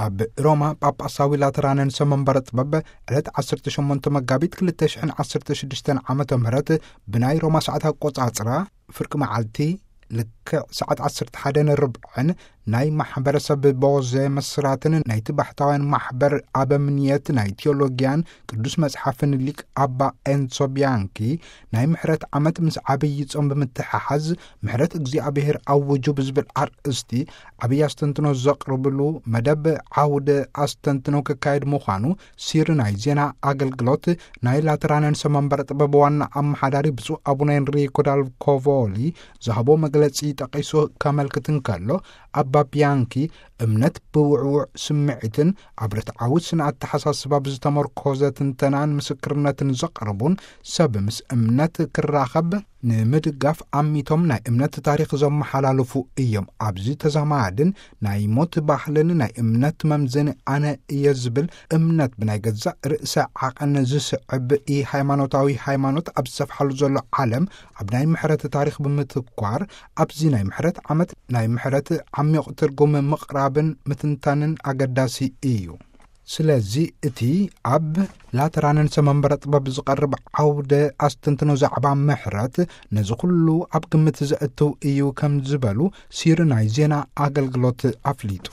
ኣብ ሮማ ጳጳሳዊ ላተራን ርእሰ መንበረ ጥበብ ዕለት ዓሰርተ ሸሞንተ መጋቢት ክልተ ሽሕን ዓሰርተ ሽዱሽተን ዓመተ ምህረት ብናይ ሮማ ሰዓት ኣቆጻጽራ ፍርቂ መዓልቲ ልክዕ ሰዓት ዓሰርተ ሓደ ንርብዕን ናይ ማሕበረሰብ ቦዜ መስራትን ናይቲ ባሕታውያን ማሕበር ኣበምንየት ናይ ቴዎሎጊያን ቅዱስ መጽሓፍን ሊቅ ኣባ ኤንሶ ቢያንኪ ናይ ምሕረት ዓመት ምስ ዓብዪ ጾም ብምትሕሓዝ ምሕረት እግዚኣብሔር ኣውጁ ብዝብል ኣርእስቲ ዓብዪ ኣስተንትኖ ዘቕርብሉ መደብ ዓውደ ኣስተንትኖ ክካየድ ምዃኑ ሲሪ ናይ ዜና ኣገልግሎት ናይ ላተራን ርእሰ መንበረ ጥበብ ዋና ኣመሓዳሪ ብፁዕ ኣቡነ ኤንሪኮ ዳል ኮቮሊ ዝሃቦ መግለጺ ጠቒሱ ከመልክት እንከሎ፣ ኣባ ቢያንኪ እምነት ብውዕውዕ ስምዒትን ኣብ ርትዓዊ ስነ ኣተሓሳስባ ብዝተመርኮዘ ትንተናን ምስክርነትን ዘቕርቡን ሰብ ምስ እምነት ክራኸብ ንምድጋፍ ኣሚቶም ናይ እምነት ታሪኽ ዘመሓላልፉ እዮም። ኣብዚ ተዛማድን ናይ ሞት ባህልን ናይ እምነት መምዘኒ ኣነ እየ ዝብል እምነት ብናይ ገዛእ ርእሰ ዓቐን ዝስዕብ ኢ ሃይማኖታዊ ሃይማኖት ኣብ ዝሰፍሓሉ ዘሎ ዓለም ኣብ ናይ ምሕረት ታሪኽ ብምትኳር ኣብዚ ናይ ምሕረት ዓመት ናይ ምሕረት ዓሚቕ ትርጉም ምቕራብን ምትንታንን ኣገዳሲ እዩ። ስለዚ እቲ ኣብ ላተራን ርእሰ መንበረ ጥበብ ዝቐርብ ዓውደ ኣስተንትኖ ዛዕባ ምሕረት ነዚ ኩሉ ኣብ ግምት ዘእትው እዩ ከም ዝበሉ ሲሪ ናይ ዜና ኣገልግሎት ኣፍሊጡ።